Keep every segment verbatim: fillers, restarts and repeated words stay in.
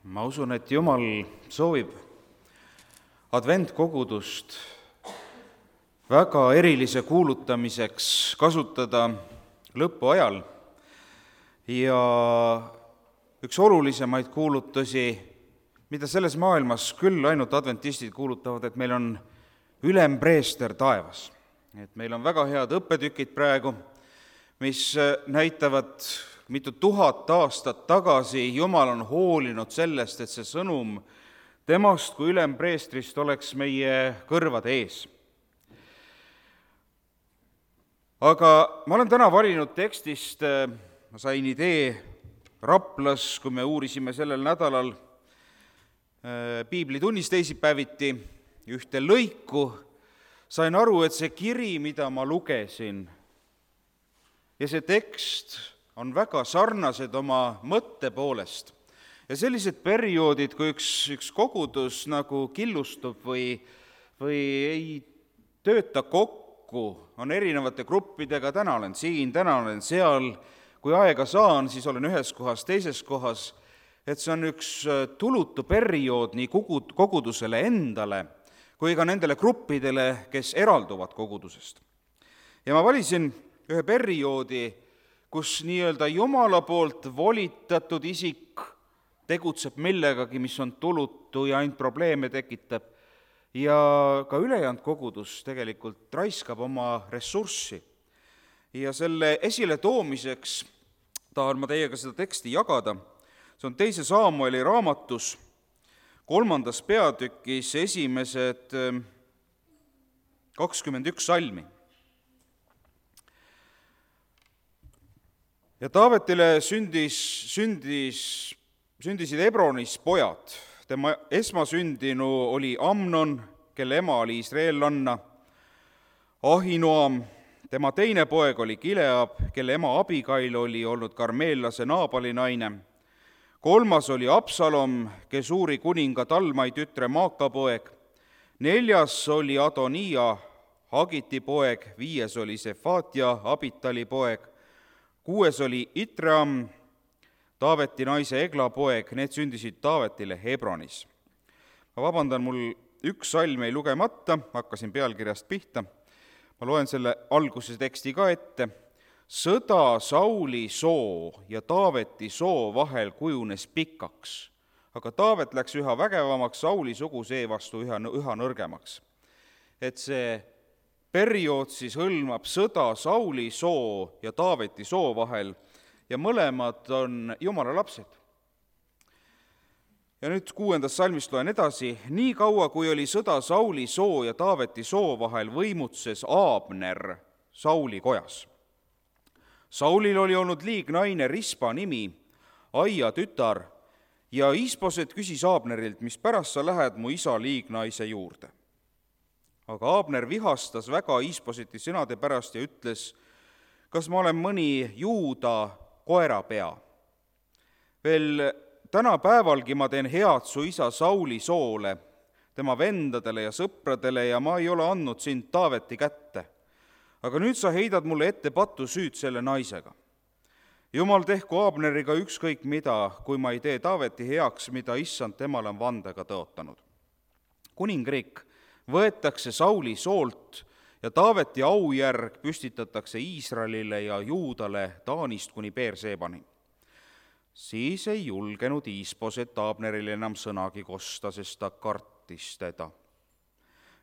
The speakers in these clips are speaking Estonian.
Ma usun, et Jumal soovib adventkogudust väga erilise kuulutamiseks kasutada lõpuajal ja üks olulisemaid kuulutusi, mida selles maailmas küll ainult adventistid kuulutavad, et meil on ülempreester taevas. Et meil on väga head õppetükid praegu, mis näitavad mitu tuhat aastat tagasi Jumal on hoolinud sellest, et see sõnum temast kui ülempreestrist oleks meie kõrvade ees. Aga ma olen täna valinud tekstist, ma sain idee Raplas, kui me uurisime sellel nädalal piiblitunnis teisipäeviti ühte lõiku, sain aru, et see kiri, mida ma lugesin, ja see tekst on väga sarnased oma mõtte poolest. Ja sellised perioodid, kui üks, üks kogudus nagu killustub või, või ei tööta kokku, on erinevate gruppidega, täna olen siin, täna olen seal, kui aega saan, siis olen ühes kohas, teises kohas, et see on üks tulutu periood nii kogudusele endale, kui ka nendele gruppidele, kes eralduvad kogudusest. Ja ma valisin ühe perioodi, kus nii-öelda Jumala poolt volitatud isik tegutseb millegagi, mis on tulutu ja ainult probleeme tekitab, ja ka ülejäänud kogudus tegelikult raiskab oma ressurssi. Ja selle esile toomiseks tahan ma teiega seda teksti jagada. See on teise Saamueli raamatus, kolmandas peatükis esimesed kakskümmend üks salmi. Ja Taavetile sündis, sündis, sündisid Hebronis pojad. Tema esmasündinu oli Amnon, kelle ema oli Israelanna, Ahinoam, tema teine poeg oli Gileab, kelle ema Abigail oli olnud karmeellase Naabali naine, kolmas oli Absalom, Gesuuri kuninga Talmai tütre Maaka poeg, neljas oli Adonia, Hagiti poeg, viies oli Sefatia, Abitali poeg, kuues oli Itream, Taaveti naise Egla poeg, need sündisid Taavetile Hebronis. Ma vabandan, mul üks salm ei lugemata, hakkasin pealkirjast pihta. Ma loen selle alguse teksti ka ette. Sõda Sauli soo ja Taaveti soo vahel kujunes pikaks, aga Taavet läks üha vägevamaks, Sauli sugu seevastu üha, üha nõrgemaks. Et see periood siis hõlmab sõda Sauli soo ja Taaveti soo vahel ja mõlemad on Jumala lapsed. Ja nüüd kuuendast salmist loen edasi. Nii kaua, kui oli sõda Sauli soo ja Taaveti soo vahel, võimutses Aabner Sauli kojas. Saulil oli olnud liignaine Rispa nimi, Aia tütar, ja Isboset küsis Aabnerilt, mis pärast sa lähed mu isa liignaise juurde. Aga Aabner vihastas väga Isboseti sõnade pärast ja ütles, kas ma olen mõni Juuda koerapea. Veel tänapäevalgi ma teen head su isa Sauli soole, tema vendadele ja sõpradele, ja ma ei ole andnud sind Taaveti kätte. Aga nüüd sa heidad mulle ette patu süüd selle naisega. Jumal tehku Aabneriga ükskõik mida, kui ma ei tee Taaveti heaks, mida issand temale on vandega tõotanud. Kuningriik võetakse Sauli soolt ja Taaveti aujärg püstitatakse Iisraelile ja Juudale Taanist kuni Beerseebani. Siis ei julgenud Isboset Aabnerile enam sõnagi kosta, sest ta kartis teda.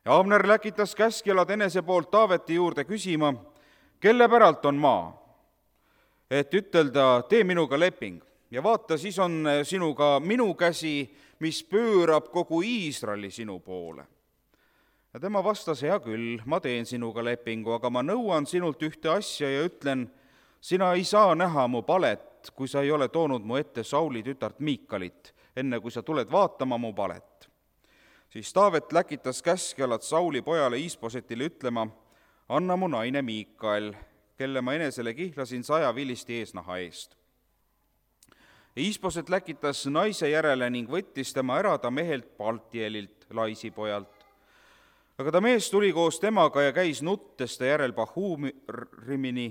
Ja Aabner läkitas käskjalad enese poolt Taaveti juurde küsima, kelle päralt on maa, et ütelda, tee minuga leping ja vaata, siis on sinuga minu käsi, mis pöörab kogu Iisraeli sinu poole. Ja tema vastas, hea küll, ma teen sinuga lepingu, aga ma nõuan sinult ühte asja ja ütlen, sina ei saa näha mu palet, kui sa ei ole toonud mu ette Sauli tütart Miikalit, enne kui sa tuled vaatama mu palet. Siis Taavet läkitas käskjalad Sauli pojale Isbosetile ütlema, anna mu naine Miikael, kelle ma enesele kihlasin saja vilisti eesnaha eest. Isboset läkitas naise järele ning võttis tema ära ta mehelt Paltielilt, Laisi pojalt. Aga ta mees tuli koos temaga ja käis nuttes ta järel Bahurimini,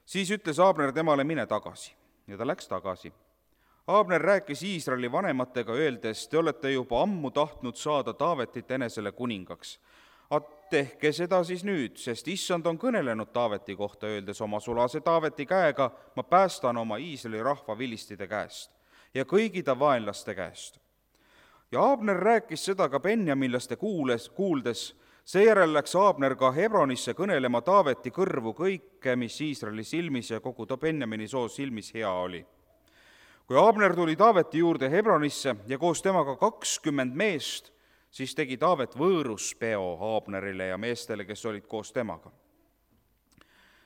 siis ütles Aabner temale, mine tagasi, ja ta läks tagasi. Aabner rääkis Iisraeli vanematega, öeldes, te olete juba ammu tahtnud saada Taavetit enesele kuningaks. Tehke seda siis nüüd, sest issand on kõnelenud Taaveti kohta, öeldes oma sulase Taaveti käega, ma päästan oma Iisraeli rahva vilistide käest ja kõigi ta vaenlaste käest. Ja Aabner rääkis seda ka benjaminlaste kuules, kuuldes, seejärel läks Aabner ka Hebronisse kõnelema Taaveti kõrvu kõike, mis Iisraeli silmis ja kogu ta Benjamini soo silmis hea oli. Kui Aabner tuli Taaveti juurde Hebronisse ja koos temaga kakskümmend meest, siis tegi Taavet võõruspeo Aabnerile ja meestele, kes olid koos temaga.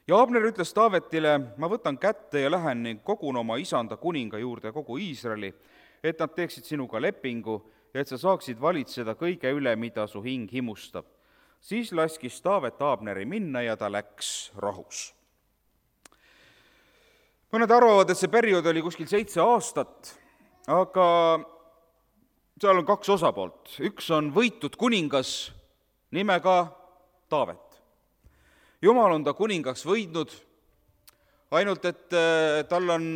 Ja Aabner ütles Taavetile, ma võtan kätte ja lähen ning kogun oma isanda kuninga juurde kogu Iisraeli, et nad teeksid sinuga lepingu ja et sa saaksid valitseda kõige üle, mida su hing himustab. Siis laskis Taavet Aabneri minna ja ta läks rahus. Mõned arvavad, et see periood oli kuskil seitse aastat, aga seal on kaks osapoolt. Üks on võitud kuningas nimega Taavet. Jumal on ta kuningaks võidnud, ainult et tal on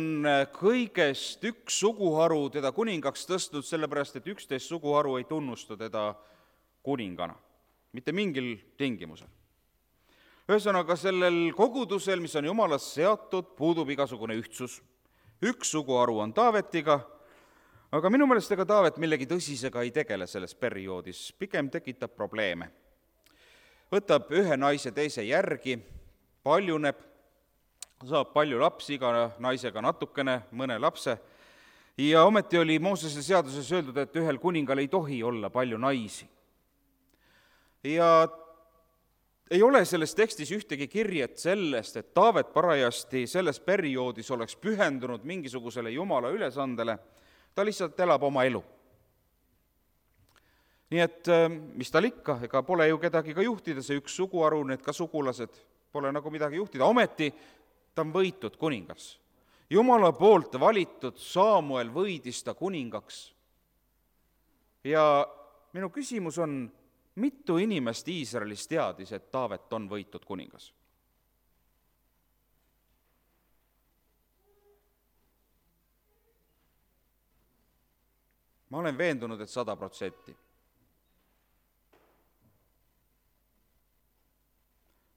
kõigest üks suguharu teda kuningaks tõstnud, sellepärast et üksteist suguharu ei tunnusta teda kuningana, mitte mingil tingimusel. Ühesõnaga, sellel kogudusel, mis on Jumalast seatud, puudub igasugune ühtsus. Üks suguharu on Taavetiga, aga minu meelest ega Taavet millegi tõsisega ei tegele selles perioodis, pigem tekitab probleeme. Võtab ühe naise teise järgi, paljuneb, saab palju lapsi, iga naisega natukene, mõne lapse, ja ometi oli Moosese seaduses öeldud, et ühel kuningal ei tohi olla palju naisi. Ja ei ole selles tekstis ühtegi kirjet sellest, et Taavet parajasti selles perioodis oleks pühendunud mingisugusele Jumala ülesandele, ta lihtsalt elab oma elu. Nii et mis tal ikka, ega pole ju kedagi ka juhtida, see üks suguharu, need ka sugulased, pole nagu midagi juhtida, ometi ta on võitud kuningas. Jumala poolt valitud Saamuel võidis ta kuningaks. Ja minu küsimus on, mitu inimest Iisraelis teadis, et Taavet on võitud kuningas? Ma olen veendunud, et sada protsenti.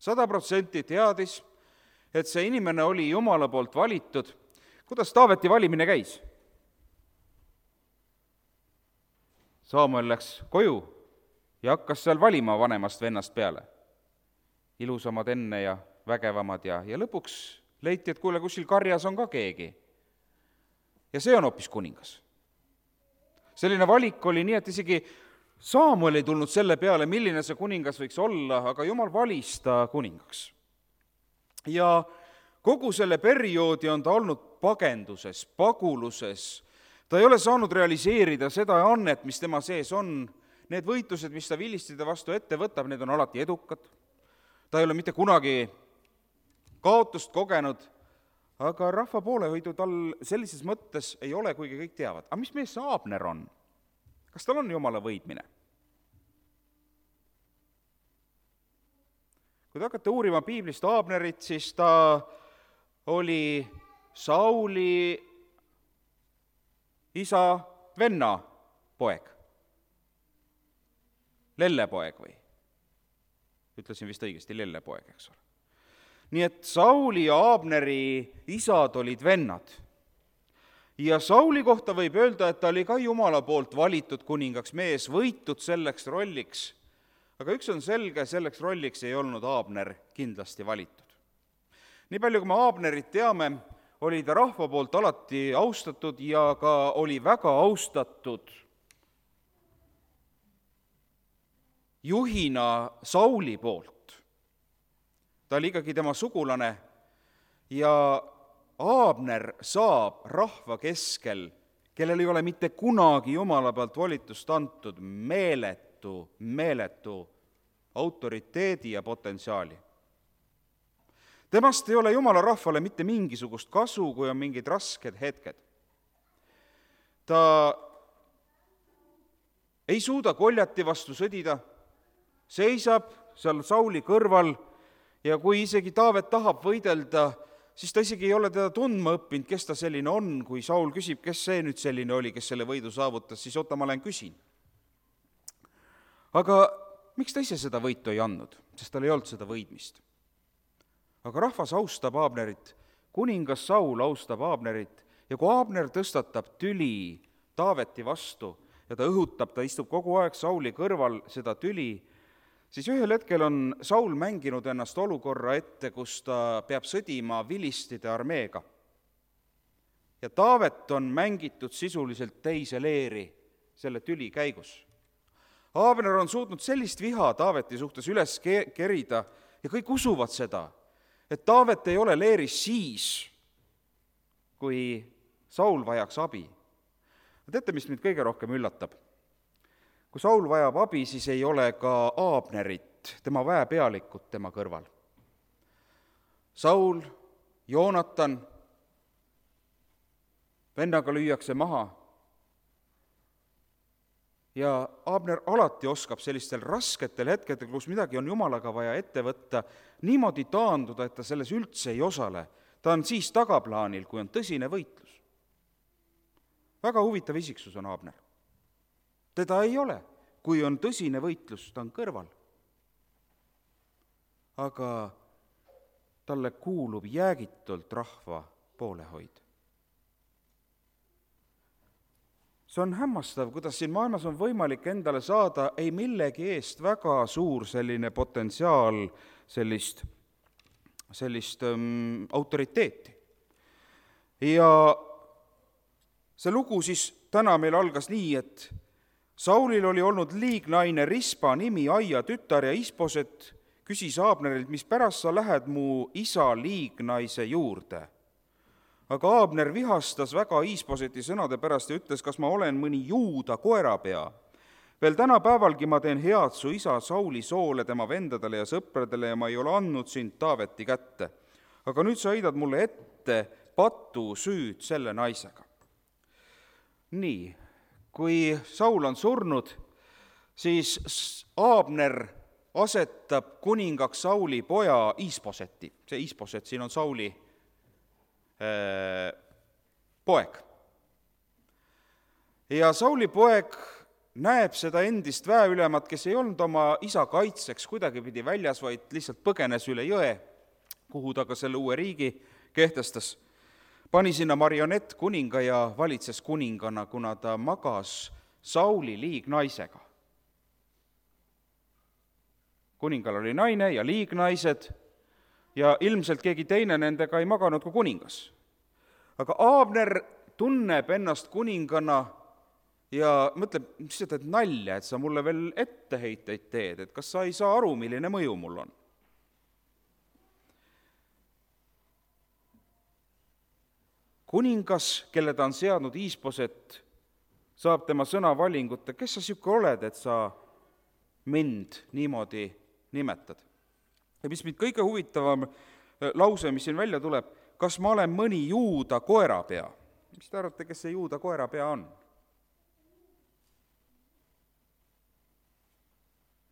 Sada protsenti teadis, et see inimene oli Jumala poolt valitud. Kuidas Taaveti valimine käis? Saamuel läks koju ja hakkas seal valima vanemast vennast peale. Ilusamad enne ja vägevamad ja, ja lõpuks leiti, et kuule, kuskil karjas on ka keegi. Ja see on hoopis kuningas. Selline valik oli nii, et isegi Saamuel ei tulnud selle peale, milline see kuningas võiks olla, aga Jumal valis ta kuningaks. Ja kogu selle perioodi on ta olnud pagenduses, paguluses. Ta ei ole saanud realiseerida seda annet, mis tema sees on. Need võitlused, mis ta vilistide vastu ette võtab, need on alati edukad. Ta ei ole mitte kunagi kaotust kogenud, aga rahva poolehoidu tal sellises mõttes ei ole, kuigi kõik teavad. Aga mis mees Aabner on? Kas tal on Jumala võidmine? Kui te hakkate uurima piiblist Aabnerit, siis ta oli Sauli isa venna poeg. Lellepoeg või? Ütlesin vist õigesti, lellepoeg, eks ole. Nii et Sauli ja Aabneri isad olid vennad. Ja Sauli kohta võib öelda, et ta oli ka Jumala poolt valitud kuningaks mees, võitud selleks rolliks. Aga üks on selge, selleks rolliks ei olnud Aabner kindlasti valitud. Nii palju, kui me Aabnerit teame, oli ta rahva poolt alati austatud ja ka oli väga austatud juhina Sauli poolt. Ta oli ikkagi tema sugulane ja Aabner saab rahva keskel, kellel ei ole mitte kunagi Jumala pealt volitust antud, meeletu, meeletu autoriteedi ja potentsiaali. Temast ei ole Jumala rahvale mitte mingisugust kasu, kui on mingid rasked hetked. Ta ei suuda Goljati vastu sõdida, seisab seal Sauli kõrval ja kui isegi Taavet tahab võidelda siis ta isegi ei ole teda tundma õppinud, kes ta selline on. Kui Saul küsib, kes see nüüd selline oli, kes selle võidu saavutas, siis oota, ma lähen küsin. Aga miks ta ise seda võitu ei andnud? Sest tal ei olnud seda võidmist. Aga rahvas austab Abnerit, kuningas Saul austab Abnerit ja kui Abner tõstatab tüli Taaveti vastu ja ta õhutab, ta istub kogu aeg Sauli kõrval seda tüli, siis ühel hetkel on Saul mänginud ennast olukorra ette, kus ta peab sõdima vilistide armeega. Ja Taavet on mängitud sisuliselt teise leeri selle tüli käigus. Abner on suutnud sellist viha Taaveti suhtes üles kerida ja kõik usuvad seda, et Taavet ei ole leeris siis, kui Saul vajaks abi. Teate, mis mind kõige rohkem üllatab? Kui Saul vajab abi, siis ei ole ka Abnerit, tema väepealikut tema kõrval. Saul, Joonatan, vennaga lüüakse maha ja Abner alati oskab sellistel rasketel hetkedel, kus midagi on Jumalaga vaja ette võtta, niimoodi taanduda, et ta selles üldse ei osale. Ta on siis tagaplaanil, kui on tõsine võitlus. Väga huvitav isiksus on Abner. Teda ei ole, kui on tõsine võitlus, ta on kõrval. Aga talle kuulub jäägitult rahva poolehoid. See on hämmastav, kuidas siin maailmas on võimalik endale saada ei millegi eest väga suur selline potentsiaal, sellist, sellist ähm, autoriteeti. Ja see lugu siis täna meil algas nii, et Saulil oli olnud liignaine Rispa nimi Aia tütar ja Isboset küsis Abnerilt, mis pärast sa lähed mu isa liignaise juurde. Aga Abner vihastas väga Isboseti sõnade pärast ja ütles, kas ma olen mõni juuda koerapea. Veel täna päevalgi ma teen head su isa Sauli soole, tema vendadele ja sõpradele ja ma ei ole andnud sind Taaveti kätte. Aga nüüd sa heidad mulle ette patu süüd selle naisega. Nii, kui Saul on surnud, siis Abner asetab kuningaks Sauli poja Isboseti. See Isboset siin on Sauli poeg. Ja Sauli poeg näeb seda endist väeülemat, kes ei olnud oma isa kaitseks kuidagi pidi väljas, vaid lihtsalt põgenes üle jõe, kuhu ta ka selle uue riigi kehtestas. Pani sinna marionett kuninga ja valitses kuningana, kuna ta magas Sauli liignaisega. Kuningal oli naine ja liignaised, ja ilmselt keegi teine nendega ei maganud kui kuningas. Aga Abner tunneb ennast kuningana ja mõtleb, mis sa teed nalja, et sa mulle veel etteheiteid teed, et kas sa ei saa aru, milline mõju mul on. Kuningas, kelle ta on seadnud Isboset, saab tema sõna valingut, kes sa siuke oled, et sa mind niimoodi nimetad. Ja mis mind kõige huvitavam lause, mis siin välja tuleb, kas ma olen mõni juuda koerapea? Mis te arvate, kes see juuda koerapea on?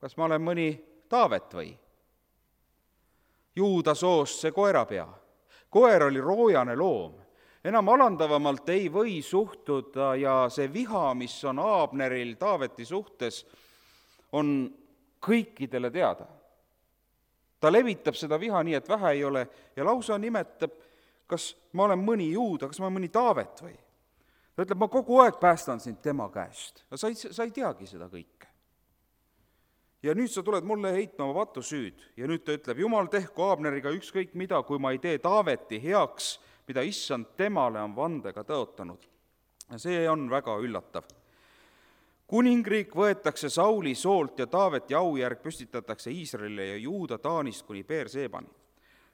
Kas ma olen mõni Taavet või? Juuda soost see koerapea. Koer oli roojane loom. Enam alandavamalt ei või suhtuda ja see viha, mis on Abneril Taaveti suhtes, on kõikidele teada. Ta levitab seda viha nii, et vähe ei ole ja lausa nimetab, kas ma olen mõni juuda, kas ma olen mõni Taavet või. Ta ütleb, ma kogu aeg päästan sind tema käest. Sa ei, sa ei teagi seda kõike. Ja nüüd sa tuled mulle heitma oma patu süüd. Ja nüüd ta ütleb, Jumal tehku Abneriga ükskõik mida, kui ma ei tee Taaveti heaks, mida issand temale on vandega tõotanud. Ja see on väga üllatav. Kuningriik võetakse Sauli soolt ja Taaveti aujärg püstitatakse Iisraelile ja Juuda Taanist kuni Beerseebani.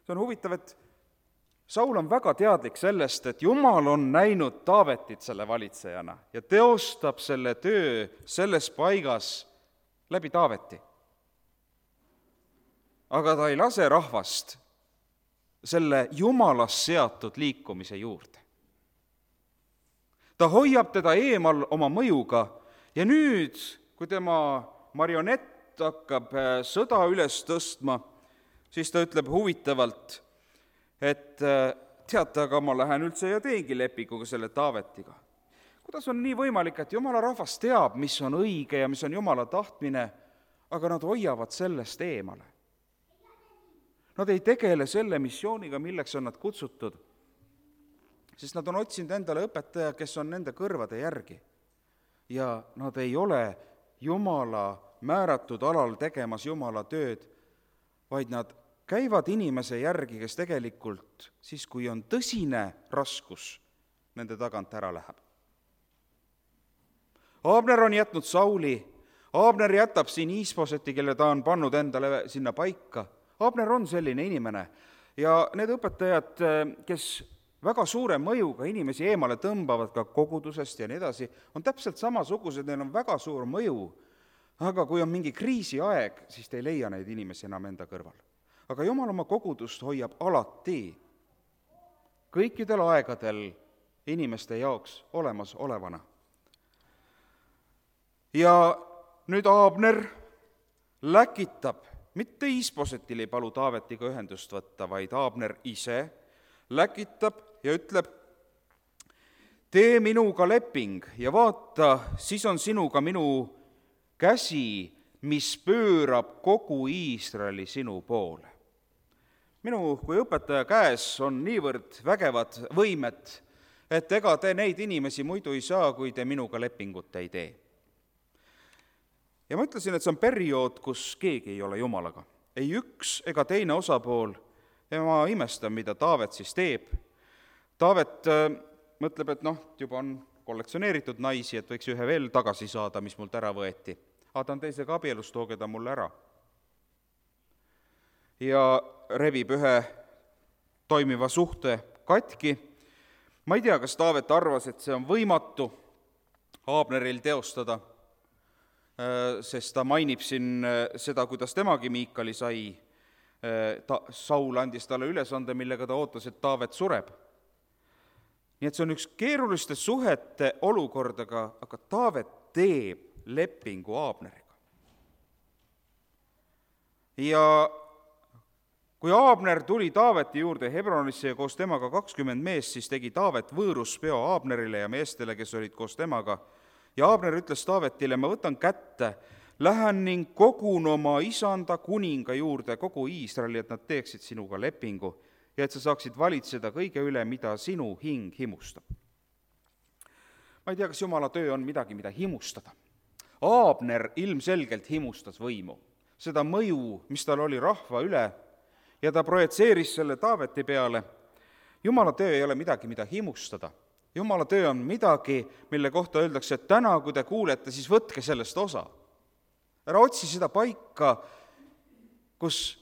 See on huvitav, et Saul on väga teadlik sellest, et Jumal on näinud Taavetit selle valitsejana ja teostab selle töö selles paigas läbi Taaveti. Aga ta ei lase rahvast selle Jumalast seatud liikumise juurde. Ta hoiab teda eemal oma mõjuga. Ja nüüd, kui tema marionett hakkab sõda üles tõstma, siis ta ütleb huvitavalt, et teate, aga ma lähen üldse ja teengi lepinguga selle Taavetiga. Kuidas on nii võimalik, et jumala rahvas teab, mis on õige ja mis on jumala tahtmine, aga nad hoiavad sellest eemale? Nad ei tegele selle missiooniga, milleks on nad kutsutud, sest nad on otsinud endale õpetaja, kes on nende kõrvade järgi. Ja nad ei ole jumala määratud alal tegemas jumala tööd, vaid nad käivad inimese järgi, kes tegelikult siis, kui on tõsine raskus, nende tagant ära läheb. Abner on jätnud Sauli, Abner jätab siin Iisposeti, kelle ta on pannud endale sinna paika. Abner on selline inimene ja need õpetajad, kes väga suure mõjuga inimesi eemale tõmbavad ka kogudusest ja nii edasi, on täpselt samasugused, neil on väga suur mõju, aga kui on mingi kriisiaeg, siis te ei leia neid inimesi enam enda kõrval. Aga Jumal oma kogudust hoiab alati kõikidel aegadel inimeste jaoks olemas olevana. Ja nüüd Abner läkitab, mitte Iisposetil ei palu Taavetiga ühendust võtta, vaid Abner ise läkitab ja ütleb, tee minuga leping ja vaata, siis on sinuga minu käsi, mis pöörab kogu Iisraeli sinu poole. Minu kui õpetaja käes on niivõrd vägevad võimed, et ega te neid inimesi muidu ei saa, kui te minuga lepingut ei tee. Ja ma ütlesin, et see on periood, kus keegi ei ole jumalaga. Ei üks ega teine osapool. Ja ma imestan, mida Taavet siis teeb. Taavet äh, mõtleb, et noh, juba on kollektsioneeritud naisi, et võiks ühe veel tagasi saada, mis mult ära võeti. Aga ta on teisega abielus, tooge ta mulle ära. Ja rebib ühe toimiva suhte katki. Ma ei tea, kas Taavet arvas, et see on võimatu Abneril teostada, sest ta mainib siin seda, kuidas temagi Miikali sai. Ta, Saul andis talle ülesande, millega ta ootas, et Taavet sureb. Nii et see on üks keeruliste suhete olukordaga, aga Taavet teeb lepingu Abneriga. Ja kui Abner tuli Taaveti juurde Hebronisse ja koos temaga kakskümmend meest, siis tegi Taavet võõruspeo Abnerile ja meestele, kes olid koos temaga. Ja Abner ütles Taavetile, ma võtan kätte, lähen ning kogun oma isanda kuninga juurde kogu Iisraeli, et nad teeksid sinuga lepingu ja et sa saaksid valitseda kõige üle, mida sinu hing himustab. Ma ei tea, kas Jumala töö on midagi, mida himustada. Abner ilmselgelt himustas võimu, seda mõju, mis tal oli rahva üle, ja ta projitseeris selle Taaveti peale. Jumala töö ei ole midagi, mida himustada. Jumala töö on midagi, mille kohta öeldakse, et täna, kui te kuulete, siis võtke sellest osa. Ära otsi seda paika, kus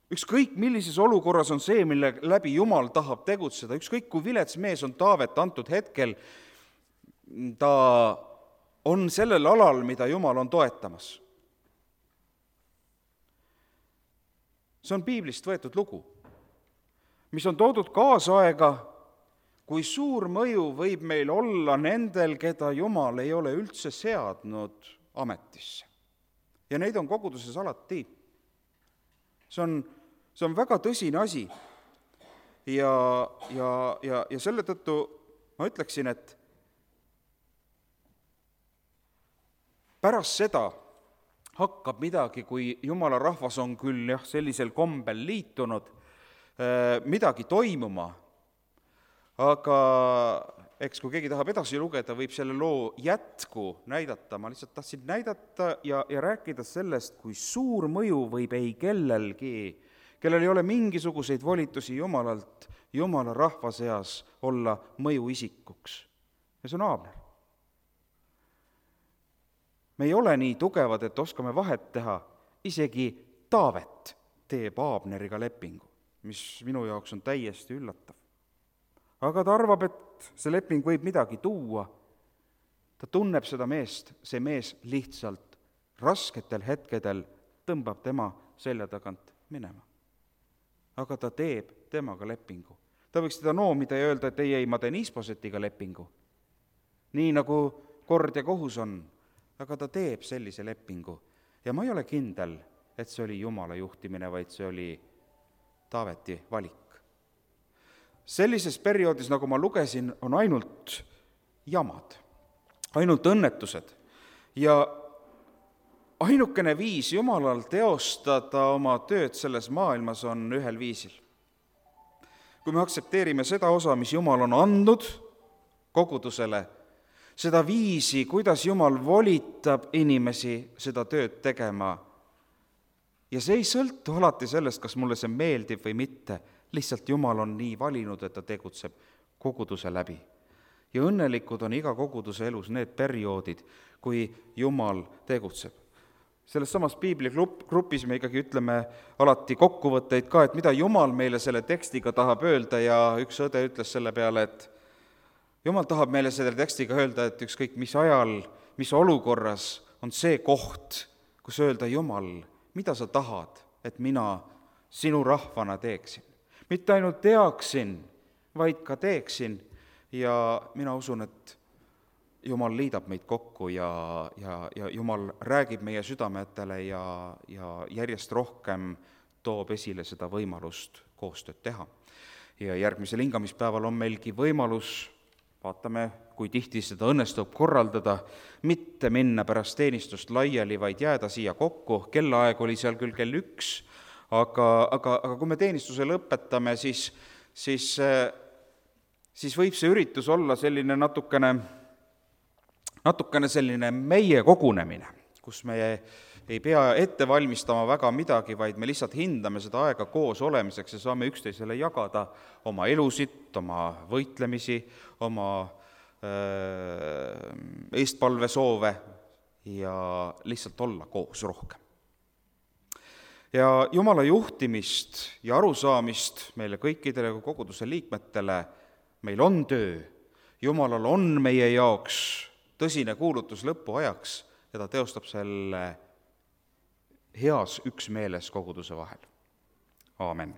ükskõik millises olukorras on see, mille läbi Jumal tahab tegutseda, ükskõik kui vilets mees on Taavet antud hetkel, ta on sellel alal, mida Jumal on toetamas. See on piiblist võetud lugu, mis on toodud kaasaega, kui suur mõju võib meil olla nendel, keda Jumal ei ole üldse seadnud ametisse. Ja neid on koguduses alati. See on, see on väga tõsine asi. Ja, ja, ja, ja selle tõttu ma ütleksin, et pärast seda hakkab midagi, kui Jumala rahvas on küll jah, sellisel kombel liitunud, midagi toimuma, aga eks kui keegi tahab edasi lugeda, võib selle loo jätku näidata. Ma lihtsalt tahtsin näidata ja, ja rääkida sellest, kui suur mõju võib ei kellelgi, kellel ei ole mingisuguseid volitusi Jumalalt, Jumala rahva seas olla mõjuisikuks. Ja see on Abner. Me ei ole nii tugevad, et oskame vahet teha. Isegi Taavet teeb Abneriga lepingu, mis minu jaoks on täiesti üllatav. Aga ta arvab, et see leping võib midagi tuua. Ta tunneb seda meest, see mees lihtsalt rasketel hetkedel tõmbab tema selja tagant minema. Aga ta teeb temaga lepingu. Ta võiks teda noomida ja öelda, et ei, ei, ma teen Iisposetiga lepingu. Nii nagu kord ja kohus on, aga ta teeb sellise lepingu. Ja ma ei ole kindel, et see oli Jumala juhtimine, vaid see oli Taaveti valik. sellises perioodis, nagu ma lugesin, on ainult jamad, ainult õnnetused ja ainukene viis Jumalal teostada oma tööd selles maailmas on ühel viisil. Kui me aktsepteerime seda osa, mis Jumal on andnud kogudusele, seda viisi, kuidas Jumal volitab inimesi seda tööd tegema, ja see ei sõltu alati sellest, kas mulle see meeldib või mitte, lihtsalt Jumal on nii valinud, et ta tegutseb koguduse läbi. Ja õnnelikud on iga koguduse elus need perioodid, kui Jumal tegutseb. Selles samas piibligrupis me ikkagi ütleme alati kokkuvõtteid ka, et mida Jumal meile selle tekstiga tahab öelda, ja üks õde ütles selle peale, et Jumal tahab meile selle tekstiga öelda, et ükskõik mis ajal, mis olukorras on see koht, kus öelda, Jumal, mida sa tahad, et mina sinu rahvana teeksin. Mitte ainult teaksin, vaid ka teeksin, ja mina usun, et Jumal liidab meid kokku ja, ja, ja Jumal räägib meie südametele ja, ja järjest rohkem toob esile seda võimalust koostööd teha. Ja järgmisel hingamispäeval on meilgi võimalus, vaatame, kui tihti seda õnnestub korraldada, mitte minna pärast teenistust laiali, vaid jääda siia kokku. Kellaaeg oli seal küll kell üks, aga, aga, aga kui me teenistuse lõpetame, siis, siis, siis võib see üritus olla selline natukene natukene selline meie kogunemine, kus me ei pea ette valmistama väga midagi, vaid me lihtsalt hindame seda aega koos olemiseks ja saame üksteisele jagada oma elusid, oma võitlemisi, oma äh, eestpalvesoove ja lihtsalt olla koos rohkem. Ja Jumala juhtimist ja arusaamist meile kõikidele koguduse liikmetele, meil on töö, Jumalal on meie jaoks tõsine kuulutus lõpuajaks ja ta teostab selle heas üksmeeles koguduse vahel. Aamen.